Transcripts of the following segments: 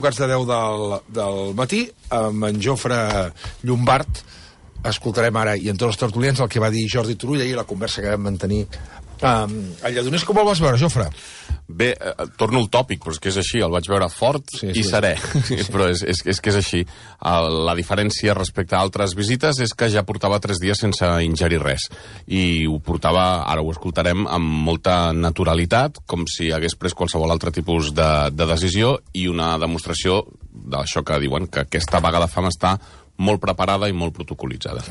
Quarts de 10 del matí, amb en Jofre Llombart, escoltarem ara, i en tots els tertulians, el que va dir Jordi Turull ahir, la conversa que vam mantenir a Lledoners. Com el vas veure, Jofre? Bé, torno al tòpic, però és que és així, el vaig veure fort i serè, però és que és així. La diferència respecte a altres visites és que ja portava 3 dies sense ingerir res, i ho portava, ara ho escoltarem, amb molta naturalitat, com si hagués pres qualsevol altre tipus de decisió, i una demostració d'això que diuen, que aquesta vaga de fam està molt preparada i molt protocolitzada.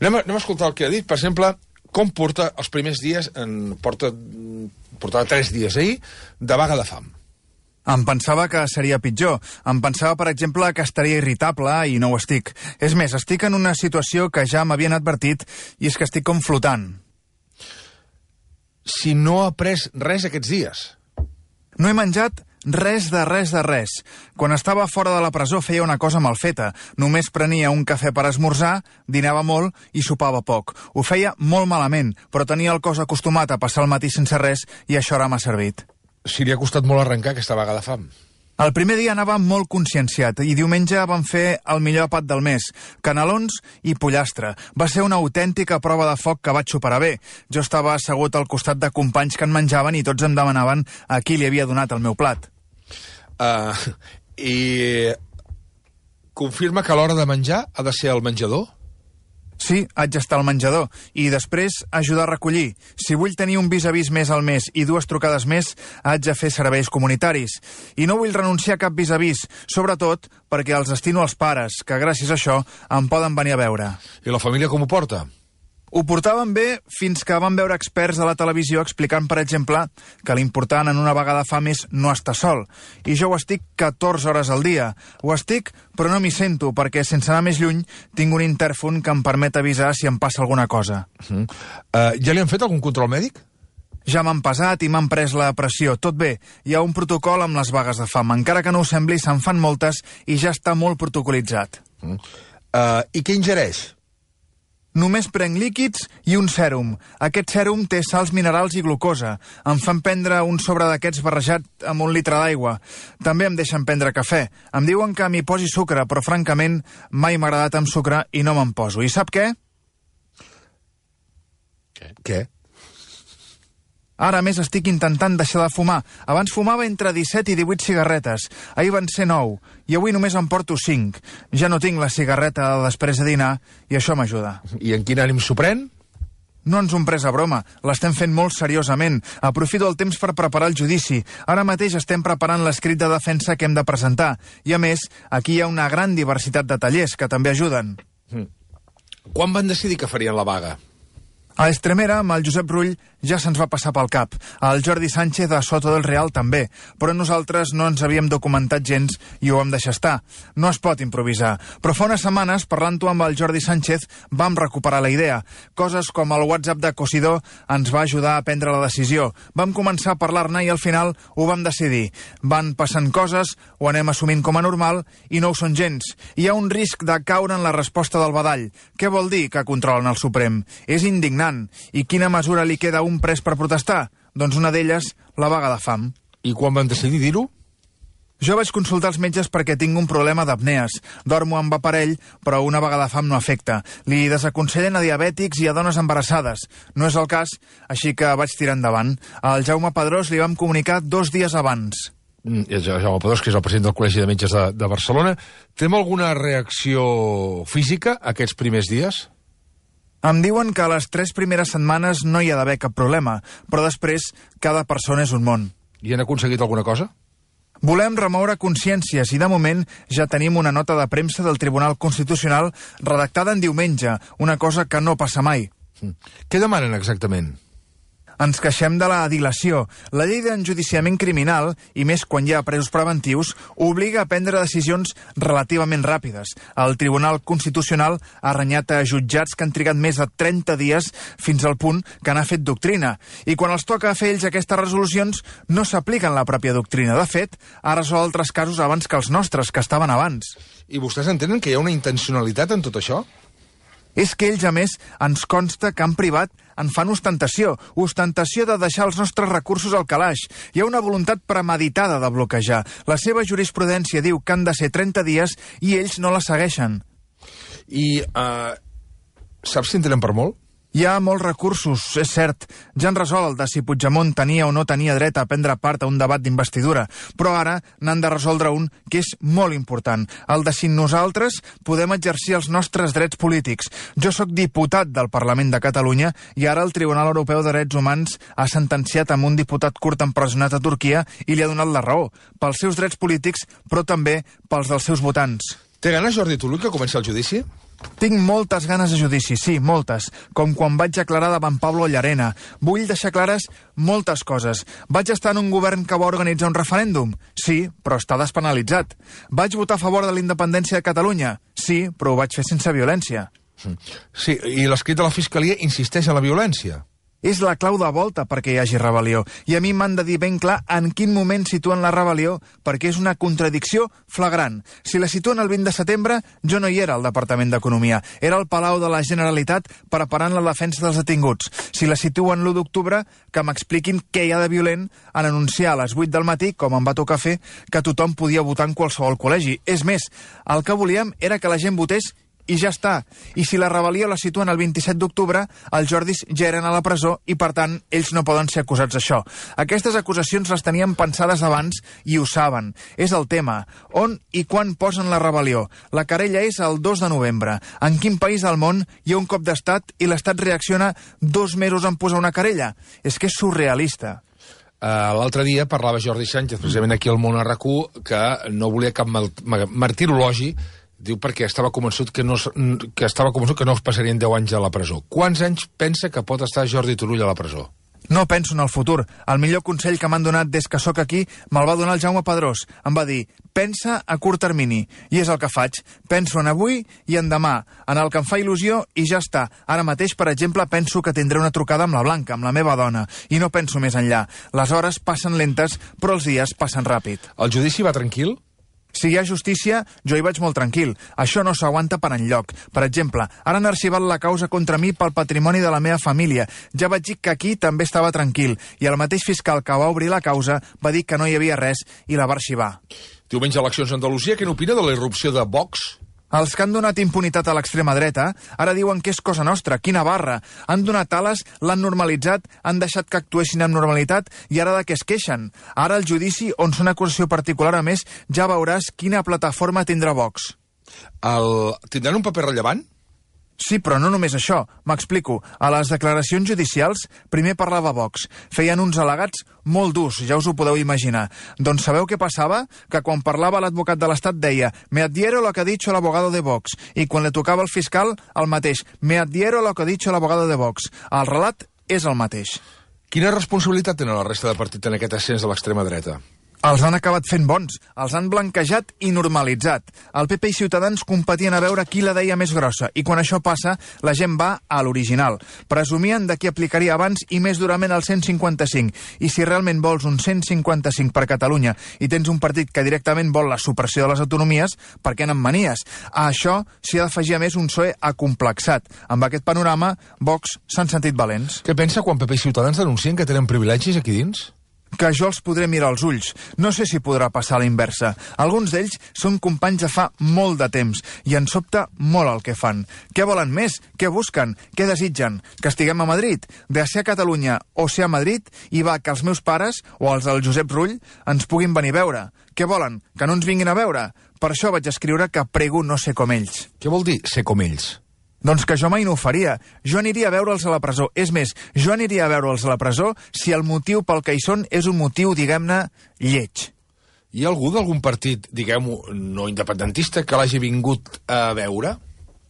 Anem a escoltar el que ha dit, per exemple, com porta els primers dies, portava 3 dies ahir, de vaga de fam. Em pensava que seria pitjor. Em pensava, per exemple, que estaria irritable i no ho estic. És més, estic en una situació que ja m'havien advertit i és que estic com flotant. Si no ha pres res aquests dies? No he menjat res de res. Quan estava fora de la presó feia una cosa mal feta. Només prenia un cafè per esmorzar, dinava molt i sopava poc. Ho feia molt malament, però tenia el cos acostumat a passar el matí sense res i això ara m'ha servit. Si li ha costat molt arrencar aquesta vaga de fam. El primer dia anava molt conscienciat i diumenge vam fer el millor àpat del mes, canelons i pollastre. Va ser una autèntica prova de foc que vaig superar bé. Jo estava assegut al costat de companys que en menjaven i tots em demanaven a qui li havia donat el meu plat. I confirma que a l'hora de menjar ha de ser al menjador? Sí, haig d'estar al menjador i després ajudar a recollir. Si vull tenir un vis-a-vis més al mes i 2 trucades més, haig de fer serveis comunitaris. I no vull renunciar a cap vis-a-vis, sobretot perquè els destino als pares, que gràcies a això em poden venir a veure. I la família com ho porta? Ho portaven bé fins que van veure experts de la televisió explicant, per exemple, que l'important en una vaga de fam és no estar sol. I jo ho estic 14 hores al dia. Ho estic, però no m'hi sento, perquè sense anar més lluny tinc un intèrfon que em permet avisar si em passa alguna cosa. Ja li han fet algun control mèdic? Ja m'han pesat i m'han pres la pressió. Tot bé, hi ha un protocol amb les vagues de fam. Encara que no ho sembli, se'n fan moltes i ja està molt protocolitzat. I què ingereix? Només prenc líquids i un sèrum. Aquest sèrum té sals minerals i glucosa. Em fan prendre un sobre d'aquests barrejat amb 1 litre d'aigua. També em deixen prendre cafè. Em diuen que m'hi posi sucre, però francament mai m'ha agradat amb sucre i no me'n poso. I sap què? Què? Ara, més, estic intentant deixar de fumar. Abans fumava entre 17 i 18 cigarretes. Ahir van ser 9, i avui només en porto 5. Ja no tinc la cigarreta de després de dinar, i això m'ajuda. I en quin ànim s'ho pren? No ens ho hem pres a broma, l'estem fent molt seriosament. Aprofito el temps per preparar el judici. Ara mateix estem preparant l'escrit de defensa que hem de presentar. I a més, aquí hi ha una gran diversitat de tallers que també ajuden. Quan van decidir que farien la vaga? A Estremera, amb el Josep Rull, ja se'ns va passar pel cap. El Jordi Sánchez a Soto del Real també, però nosaltres no ens havíem documentat gens i ho vam deixar estar. No es pot improvisar. Però fa unes setmanes, parlant-ho amb el Jordi Sánchez, vam recuperar la idea. Coses com el WhatsApp de Cosidó ens va ajudar a prendre la decisió. Vam començar a parlar-ne i al final ho vam decidir. Van passant coses, ho anem assumint com a normal i no ho són gens. Hi ha un risc de caure en la resposta del badall. Què vol dir que controlen el Suprem? És indignant. I quina mesura li queda a un pres per protestar? Doncs una d'elles, la vaga de fam. I quan van decidir dir-ho? Jo vaig consultar els metges perquè tinc un problema d'apnees. Dormo amb aparell, però una vaga de fam no afecta. Li desaconsellen a diabètics i a dones embarassades. No és el cas, així que vaig tirar endavant. Al Jaume Pedrós li vam comunicar 2 dies abans. Jaume Pedrós, que és el president del Col·legi de Metges de Barcelona. Té alguna reacció física aquests primers dies? Em diuen que a les 3 primeres setmanes no hi ha d'haver cap problema, però després cada persona és un món. I han aconseguit alguna cosa? Volem remoure consciències i de moment ja tenim una nota de premsa del Tribunal Constitucional redactada en diumenge, una cosa que no passa mai. Què demanen exactament? Ens queixem de la dilació. La llei d'enjudiciament criminal, i més quan hi ha presos preventius, obliga a prendre decisions relativament ràpides. El Tribunal Constitucional ha renyat a jutjats que han trigat més de 30 dies fins al punt que n'ha fet doctrina. I quan els toca fer ells aquestes resolucions, no s'apliquen la pròpia doctrina. De fet, ha resolt altres casos abans que els nostres, que estaven abans. I vostès entenen que hi ha una intencionalitat en tot això? És que ells, a més, ens consta que en privat en fan ostentació de deixar els nostres recursos al calaix. Hi ha una voluntat premeditada de bloquejar. La seva jurisprudència diu que han de ser 30 dies i ells no la segueixen. I saps si en tenen per molt? Hi ha molts recursos, és cert. Ja han resolt de si Puigdemont tenia o no tenia dret a prendre part a un debat d'investidura, però ara n'han de resoldre un que és molt important, el de si nosaltres podem exercir els nostres drets polítics. Jo sóc diputat del Parlament de Catalunya i ara el Tribunal Europeu de Drets Humans ha sentenciat amb un diputat kurd empresonat a Turquia i li ha donat la raó, pels seus drets polítics, però també pels dels seus votants. Té ganes, Jordi Turull, que comenci el judici? Tinc moltes ganes de judici, sí, moltes, com quan vaig aclarar davant Pablo Llarena. Vull deixar clares moltes coses. Vaig estar en un govern que va organitzar un referèndum? Sí, però està despenalitzat. Vaig votar a favor de la independència de Catalunya? Sí, però ho vaig fer sense violència. Sí, i l'escrit de la Fiscalia insisteix en la violència. És la clau de volta perquè hi hagi rebel·lió. I a mi m'han de dir ben clar en quin moment situen la rebel·lió, perquè és una contradicció flagrant. Si la situen el 20 de setembre, jo no hi era al Departament d'Economia. Era al Palau de la Generalitat preparant la defensa dels detinguts. Si la situen l'1 d'octubre, que m'expliquin què hi ha de violent en anunciar a les 8 del matí, com em va tocar fer, que tothom podia votar en qualsevol col·legi. És més, el que volíem era que la gent votés i ja està. I si la rebel·lió la situen el 27 d'octubre, els Jordis ja eren a la presó i, per tant, ells no poden ser acusats d'això. Aquestes acusacions les tenien pensades abans i ho saben. És el tema. On i quan posen la rebel·lió? La querella és el 2 de novembre. En quin país del món hi ha un cop d'estat i l'estat reacciona 2 mesos en posar una querella? És que és surrealista. L'altre dia parlava Jordi Sánchez, precisament aquí al Món a RAC1, que no volia cap martirologi. Diu perquè estava convençut que no es passarien 10 anys a la presó. Quants anys pensa que pot estar Jordi Turull a la presó? No penso en el futur. El millor consell que m'han donat des que sóc aquí me'l va donar el Jaume Pedrós. Em va dir, pensa a curt termini. I és el que faig. Penso en avui i en demà, en el que em fa il·lusió i ja està. Ara mateix, per exemple, penso que tindré una trucada amb la Blanca, amb la meva dona, i no penso més enllà. Les hores passen lentes, però els dies passen ràpid. El judici va tranquil? Si hi ha justícia, jo hi vaig molt tranquil. Això no s'aguanta per enlloc. Per exemple, ara han arxivat la causa contra mi pel patrimoni de la meva família. Ja vaig dir que aquí també estava tranquil. I el mateix fiscal que va obrir la causa va dir que no hi havia res i la va arxivar. Diumenge eleccions a Andalusia, què n'opina de la irrupció de Vox? Els que han donat impunitat a l'extrema dreta ara diuen que és cosa nostra, quina barra. Han donat ales, l'han normalitzat, han deixat que actuessin amb normalitat i ara de què es queixen? Ara el judici, on són acusació particular a més, ja veuràs quina plataforma tindrà Vox. Tindran un paper rellevant? Sí, però no només això. M'explico. A les declaracions judicials primer parlava Vox. Feien uns al·legats molt durs, ja us ho podeu imaginar. Doncs sabeu què passava? Que quan parlava l'advocat de l'Estat deia «Me adhiero lo que ha dicho el abogado de Vox». I quan li tocava el fiscal, el mateix «Me adhiero lo que ha dicho el abogado de Vox». El relat és el mateix. Quina responsabilitat tenen la resta de partit en aquest ascens de l'extrema dreta? Els han acabat fent bons, els han blanquejat i normalitzat. El PP i Ciutadans competien a veure qui la deia més grossa, i quan això passa, la gent va a l'original. Presumien de qui aplicaria abans i més durament el 155. I si realment vols un 155 per Catalunya i tens un partit que directament vol la supressió de les autonomies, per què n'en manies? A això s'hi ha d'afegir a més un PSOE acomplexat. Amb aquest panorama, Vox s'han sentit valents. Què pensa quan PP i Ciutadans denuncien que tenen privilegis aquí dins? Que jo els podré mirar als ulls. No sé si podrà passar a la inversa. Alguns d'ells són companys de fa molt de temps i ens sobta molt el que fan. Què volen més? Què busquen? Què desitgen? Que estiguem a Madrid? De ser a Catalunya o ser a Madrid i va que els meus pares o els del Josep Rull ens puguin venir a veure. Què volen? Que no ens vinguin a veure? Per això vaig escriure que prego no ser com ells. Què vol dir ser com ells? Doncs que jo mai no ho faria. Jo aniria a veure'ls a la presó. És més, jo aniria a veure'ls a la presó si el motiu pel que hi són és un motiu, diguem-ne, lleig. Hi ha algú d'algun partit, diguem-ho, no independentista, que l'hagi vingut a veure?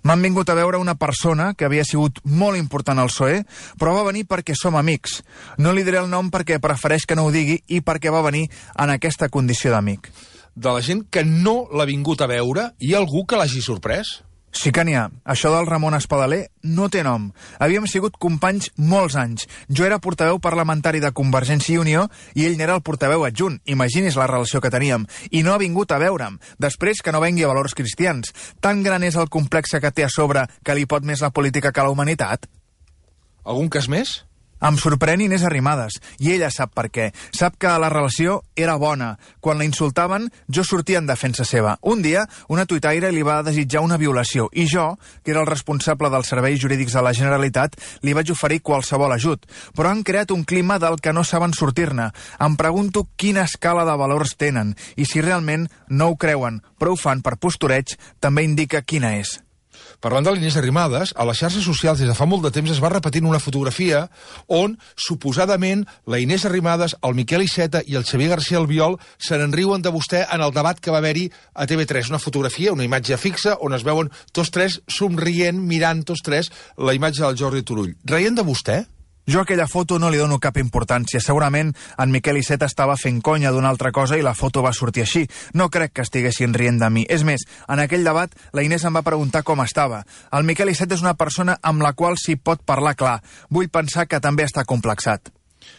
M'han vingut a veure una persona que havia sigut molt important al PSOE, però va venir perquè som amics. No li diré el nom perquè prefereix que no ho digui i perquè va venir en aquesta condició d'amic. De la gent que no l'ha vingut a veure, hi ha algú que l'hagi sorprès? Sí que n'hi ha. Això del Ramon Espadaler no té nom. Havíem sigut companys molts anys. Jo era portaveu parlamentari de Convergència i Unió i ell n'era el portaveu adjunt. Imagini's la relació que teníem. I no ha vingut a veure'm. Després que no vengui a Valors Cristians. Tan gran és el complexe que té a sobre que li pot més la política que la humanitat? Algun cas més? Em sorprèn Inés Arrimadas, i ella sap per què. Sap que la relació era bona. Quan la insultaven, jo sortia en defensa seva. Un dia, una tuitaire li va desitjar una violació, i jo, que era el responsable dels serveis jurídics de la Generalitat, li vaig oferir qualsevol ajut. Però han creat un clima del que no saben sortir-ne. Em pregunto quina escala de valors tenen, i si realment no ho creuen, però ho fan per postureig, també indica quina és. Parlant de l'Inés Arrimadas, a les xarxes socials des de fa molt de temps es va repetint una fotografia on, suposadament, la Inés Arrimadas, el Miquel Iceta i el Xavier García Albiol se n'enriuen de vostè en el debat que va haver-hi a TV3. Una fotografia, una imatge fixa, on es veuen tots tres somrient, mirant tots tres la imatge del Jordi Turull. Reient de vostè? Jo a aquella foto no li dono cap importància. Segurament en Miquel Iceta estava fent conya d'una altra cosa i la foto va sortir així. No crec que estiguessin rient de mi. És més, en aquell debat la Inés em va preguntar com estava. El Miquel Iceta és una persona amb la qual s'hi pot parlar clar. Vull pensar que també està complexat.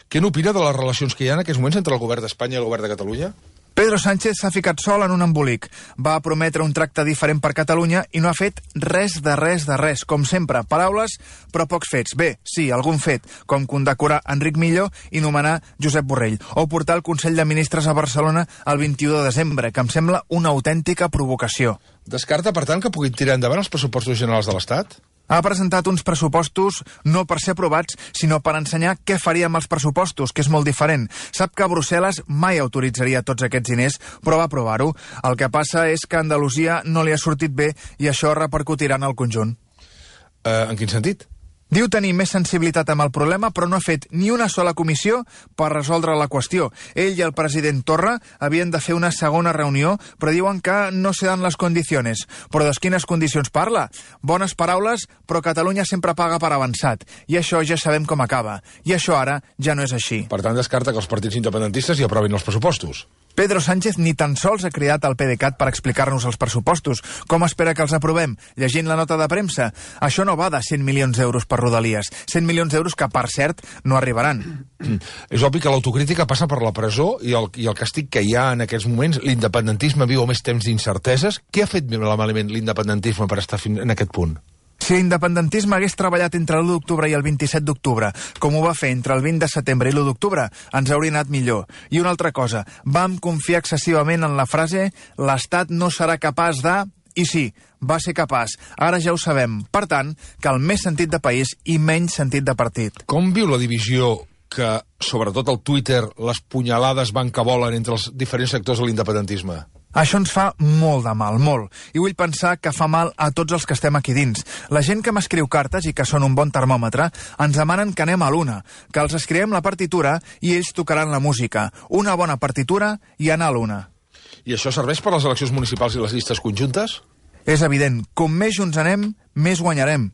Què n'opina de les relacions que hi ha en aquests moments entre el govern d'Espanya i el govern de Catalunya? Pedro Sánchez s'ha ficat sol en un embolic. Va prometre un tracte diferent per Catalunya i no ha fet res de res. Com sempre, paraules, però pocs fets. Bé, sí, algun fet, com condecorar Enric Millo i nomenar Josep Borrell, o portar el Consell de Ministres a Barcelona el 21 de desembre, que em sembla una autèntica provocació. Descarta, per tant, que puguin tirar endavant els pressupostos generals de l'Estat? Ha presentat uns pressupostos no per ser aprovats, sinó per ensenyar què faria amb els pressupostos, que és molt diferent. Sap que Brussel·les mai autoritzaria tots aquests diners, però va aprovar-ho. El que passa és que a Andalusia no li ha sortit bé i això repercutirà en el conjunt. En quin sentit? Diu tenir més sensibilitat amb el problema, però no ha fet ni una sola comissió per resoldre la qüestió. Ell i el president Torra havien de fer una segona reunió, però diuen que no se dan les condicions. Però de quines condicions parla? Bones paraules, però Catalunya sempre paga per avançat. I això ja sabem com acaba. I això ara ja no és així. Per tant, descarta que els partits independentistes hi aprovin els pressupostos. Pedro Sánchez ni tan sols ha cridat el PDeCAT per explicar-nos els pressupostos. Com espera que els aprovem? Llegint la nota de premsa? Això no va de 100 milions d'euros per Rodalies. 100 milions d'euros que, per cert, no arribaran. És obvi que l'autocrítica passa per la presó i el castig que hi ha en aquests moments. L'independentisme viu més temps d'incerteses. Què ha fet malament l'independentisme per estar fins en aquest punt? Si l'independentisme hagués treballat entre l'1 d'octubre i el 27 d'octubre, com ho va fer entre el 20 de setembre i l'1 d'octubre, ens hauria anat millor. I una altra cosa, vam confiar excessivament en la frase «l'Estat no serà capaç de...» I sí, va ser capaç. Ara ja ho sabem. Per tant, cal més sentit de país i menys sentit de partit. Com viu la divisió que, sobretot al Twitter, les punyalades van que volen entre els diferents sectors de l'independentisme? Això ens fa molt de mal, molt. I vull pensar que fa mal a tots els que estem aquí dins. La gent que m'escriu cartes i que són un bon termòmetre ens demanen que anem a l'una, que els escrivem la partitura i ells tocaran la música. Una bona partitura i anar a l'una. I això serveix per a les eleccions municipals i les llistes conjuntes? És evident. Com més junts anem, més guanyarem.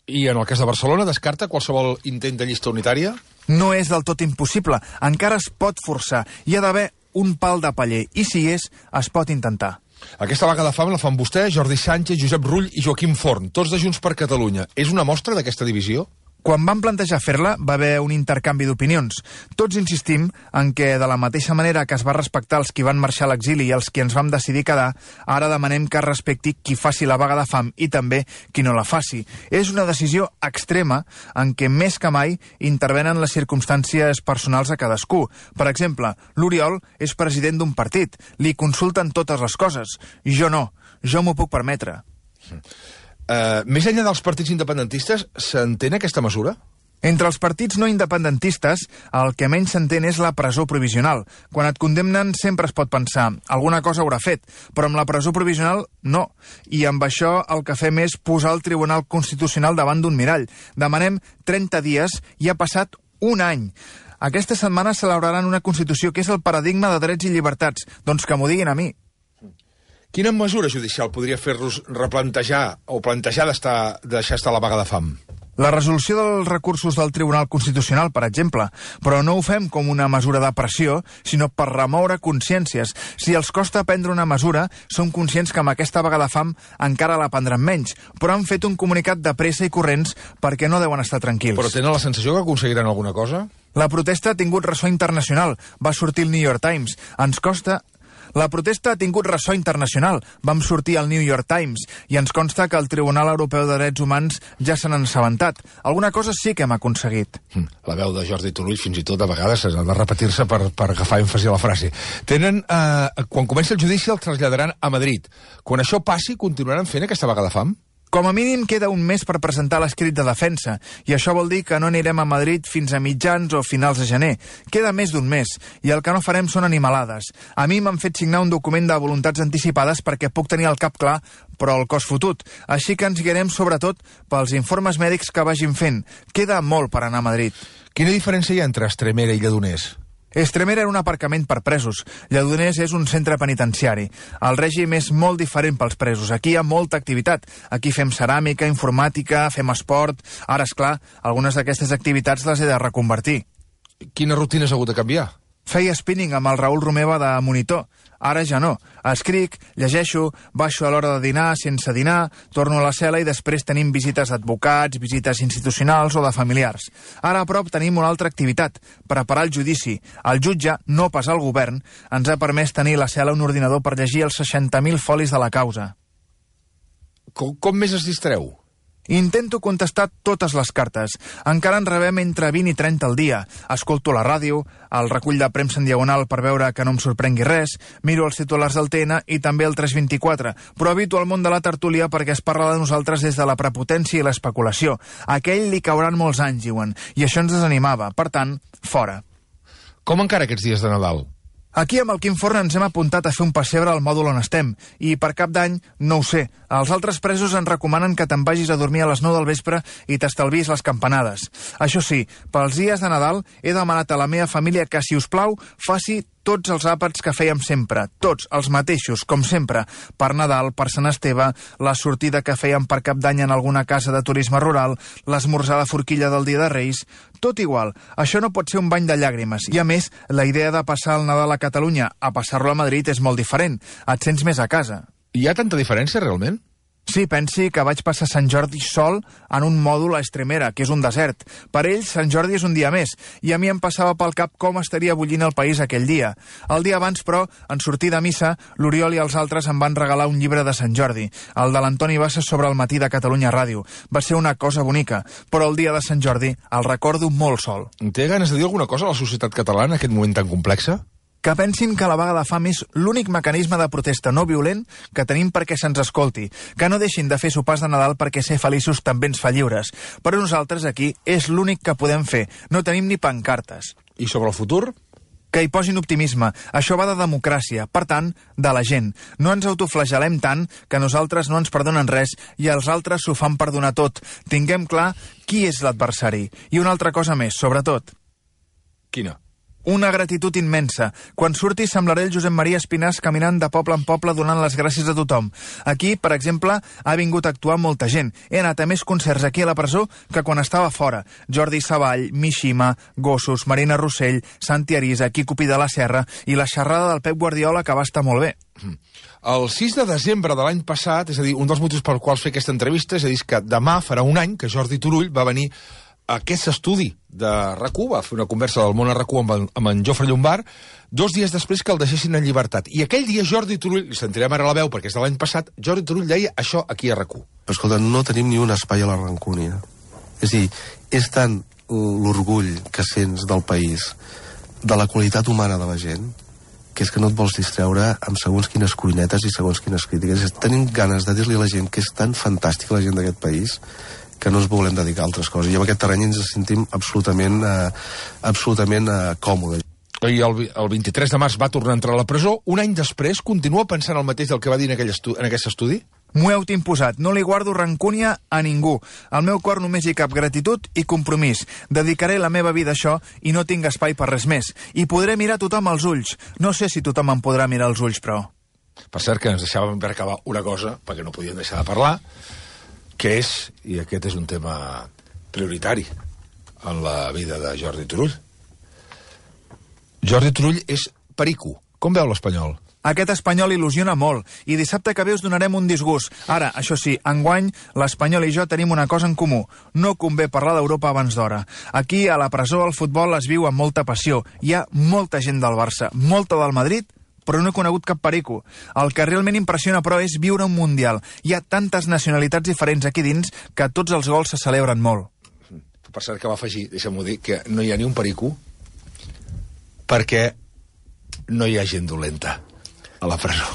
I en el cas de Barcelona, descarta qualsevol intent de llista unitària? No és del tot impossible. Encara es pot forçar. Hi ha d'haver un pal de paller, i si és, es pot intentar. Aquesta vaga de fam la fan vostè, Jordi Sánchez, Josep Rull i Joaquim Forn, tots de Junts per Catalunya. És una mostra d'aquesta divisió? Quan van plantejar fer-la, va haver un intercanvi d'opinions. Tots insistim en que, de la mateixa manera que es va respectar els qui van marxar a l'exili i els qui ens vam decidir quedar, ara demanem que es respecti qui faci la vaga de fam i també qui no la faci. És una decisió extrema en què més que mai intervenen les circumstàncies personals a cadascú. Per exemple, l'Oriol és president d'un partit. Li consulten totes les coses. Jo no. Jo m'ho puc permetre. Més enllà dels partits independentistes, s'entén aquesta mesura? Entre els partits no independentistes, el que menys s'entén és la presó provisional. Quan et condemnen sempre es pot pensar, alguna cosa haurà fet, però amb la presó provisional no. I amb això el que fem és posar el Tribunal Constitucional davant d'un mirall. Demanem 30 dies i ha passat un any. Aquesta setmana celebraran una Constitució que és el paradigma de drets i llibertats. Doncs que m'ho diguin a mi. Quina mesura judicial podria fer-los replantejar o plantejar deixar estar la vaga de fam? La resolució dels recursos del Tribunal Constitucional, per exemple, però no ho fem com una mesura de pressió, sinó per remoure consciències. Si els costa prendre una mesura, som conscients que amb aquesta vaga de fam encara la prendran menys, però han fet un comunicat de pressa i corrents perquè no deuen estar tranquils. Però tenen la sensació que aconseguiran alguna cosa? La protesta ha tingut ressò internacional. Va sortir el New York Times. Ens costa... La protesta ha tingut ressò internacional. Vam sortir al New York Times i ens consta que el Tribunal Europeu de Drets Humans ja se n'han assabentat. Alguna cosa sí que hem aconseguit. La veu de Jordi Turull fins i tot a vegades ha de repetir-se per agafar èmfasi a la frase. Quan comença el judici el traslladaran a Madrid. Quan això passi, continuaran fent aquesta vaga de fam? Com a mínim queda un mes per presentar l'escrit de defensa, i això vol dir que no anirem a Madrid fins a mitjans o finals de gener. Queda més d'un mes, i el que no farem són animalades. A mi m'han fet signar un document de voluntats anticipades perquè puc tenir el cap clar, però el cos fotut. Així que ens guiarem sobretot pels informes mèdics que vagin fent. Queda molt per anar a Madrid. Quina diferència hi ha entre Estremera i Lledoners? Estremera era un aparcament per presos. Lledoners és un centre penitenciari. El règim és molt diferent pels presos. Aquí hi ha molta activitat. Aquí fem ceràmica, informàtica, fem esport. Ara, és clar, algunes d'aquestes activitats les he de reconvertir. Quina rutina has hagut de canviar? Feia spinning amb el Raül Romeva de monitor. Ara ja no. Escric, llegeixo, baixo a l'hora de dinar, sense dinar, torno a la cel·la i després tenim visites d'advocats, visites institucionals o de familiars. Ara a prop tenim una altra activitat, preparar el judici. El jutge, no pas el govern, ens ha permès tenir a la cel·la un ordinador per llegir els 60.000 folis de la causa. Com més es distreu? Intento contestar totes les cartes. Encara en rebem entre 20 i 30 al dia. Escolto la ràdio, el recull de premsa en diagonal per veure que no em sorprengui res, miro els titulars del TN i també el 324, però evito el món de la tertúlia perquè es parla de nosaltres des de la prepotència i l'especulació. A aquell li cauran molts anys, diuen, i això ens desanimava. Per tant, fora. Com encara aquests dies de Nadal? Aquí amb el Quim Forn ens hem apuntat a fer un pessebre al mòdul on estem, i per Cap d'Any, no ho sé. Els altres presos ens recomanen que te'n vagis a dormir a les 9 del vespre i t'estalvis les campanades. Això sí, pels dies de Nadal he demanat a la meva família que, si us plau, faci tots els àpats que fèiem sempre, tots, els mateixos, com sempre, per Nadal, per Sant Esteve, la sortida que fèiem per Cap d'Any en alguna casa de turisme rural, l'esmorzar de forquilla del Dia de Reis, tot igual. Això no pot ser un bany de llàgrimes. I a més, la idea de passar el Nadal a Catalunya a passar-lo a Madrid és molt diferent. Et sents més a casa. Hi ha tanta diferència, realment? Sí, pensi que vaig passar Sant Jordi sol en un mòdul a Estremera, que és un desert. Per ells, Sant Jordi és un dia més, i a mi em passava pel cap com estaria bullint el país aquell dia. El dia abans, però, en sortir de missa, l'Oriol i els altres em van regalar un llibre de Sant Jordi, el de l'Antoni Bassas sobre el matí de Catalunya Ràdio. Va ser una cosa bonica, però el dia de Sant Jordi el recordo molt sol. Té ganes de dir alguna cosa a la societat catalana en aquest moment tan complexa? Que pensin que la vaga de fam és l'únic mecanisme de protesta no violent que tenim perquè se'ns escolti, que no deixin de fer sopars de Nadal perquè ser feliços també ens fa lliures. Però nosaltres aquí és l'únic que podem fer, no tenim ni pancartes. I sobre el futur? Que hi posin optimisme. Això va de democràcia, per tant, de la gent. No ens autoflagelem tant que nosaltres no ens perdonen res i els altres s'ho fan perdonar tot. Tinguem clar qui és l'adversari. I una altra cosa més, sobretot. Quina? Una gratitud immensa. Quan surti semblaré el Josep Maria Espinàs caminant de poble en poble donant les gràcies a tothom. Aquí, per exemple, ha vingut a actuar molta gent. He anat a més concerts aquí a la presó que quan estava fora. Jordi Savall, Mishima, Gossos, Marina Rossell, Santi Arisa, Quico Pi de la Serra i la xerrada del Pep Guardiola, que va estar molt bé. El 6 de desembre de l'any passat, és a dir, un dels motius per quals fer aquesta entrevista, és a dir, que demà farà un any que Jordi Turull va venir aquest estudi de RAC1, va fer una conversa del món a RAC1 amb en Jofre Llombart, 2 dies després que el deixessin en llibertat. I aquell dia Jordi Turull, li sentirem ara la veu perquè és de l'any passat, Jordi Turull deia això aquí a RAC1. Però escolta, no tenim ni un espai a la rancúnia. És a dir, és tant l'orgull que sents del país, de la qualitat humana de la gent, que és que no et vols distreure amb segons quines cuinetes i segons quines crítiques. Tenim ganes de dir-li a la gent que és tan fantàstica la gent d'aquest país que no ens volem dedicar a altres coses. I en aquest terreny ens sentim absolutament còmodes. I el 23 de març va tornar a entrar a la presó. Un any després continua pensant el mateix del que va dir en aquest estudi? M'ho heu imposat. No li guardo rancúnia a ningú. Al meu cor només hi cap gratitud i compromís. Dedicaré la meva vida a això i no tinc espai per res més. I podré mirar tothom als ulls. No sé si tothom em podrà mirar als ulls, però... Per cert, que ens deixàvem per acabar una cosa, perquè no podíem deixar de parlar, que és, i aquest és un tema prioritari en la vida de Jordi Turull. Jordi Turull és perico. Com veu l'Espanyol? Aquest Espanyol il·lusiona molt, i dissabte que ve us donarem un disgust. Ara, això sí, enguany, l'Espanyol i jo tenim una cosa en comú. No convé parlar d'Europa abans d'hora. Aquí, a la presó, el futbol es viu amb molta passió. Hi ha molta gent del Barça, molta del Madrid, però no he conegut cap perico. El que realment impressiona, però, és viure un Mundial. Hi ha tantes nacionalitats diferents aquí dins que tots els gols se celebren molt. Per cert, que va afegir, deixa'm-ho dir, que no hi ha ni un perico perquè no hi ha gent dolenta a la presó.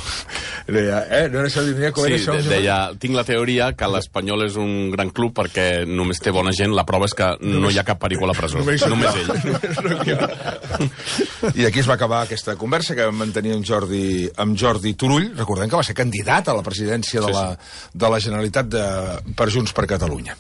Deia, no era això, com era això? Deia, tinc la teoria que l'Espanyol és un gran club perquè només té bona gent, la prova és que no hi ha cap perico a la presó, només ell. I aquí es va acabar aquesta conversa que vam mantenir amb Jordi Turull, recordem que va ser candidat a la presidència de la Generalitat per Junts per Catalunya.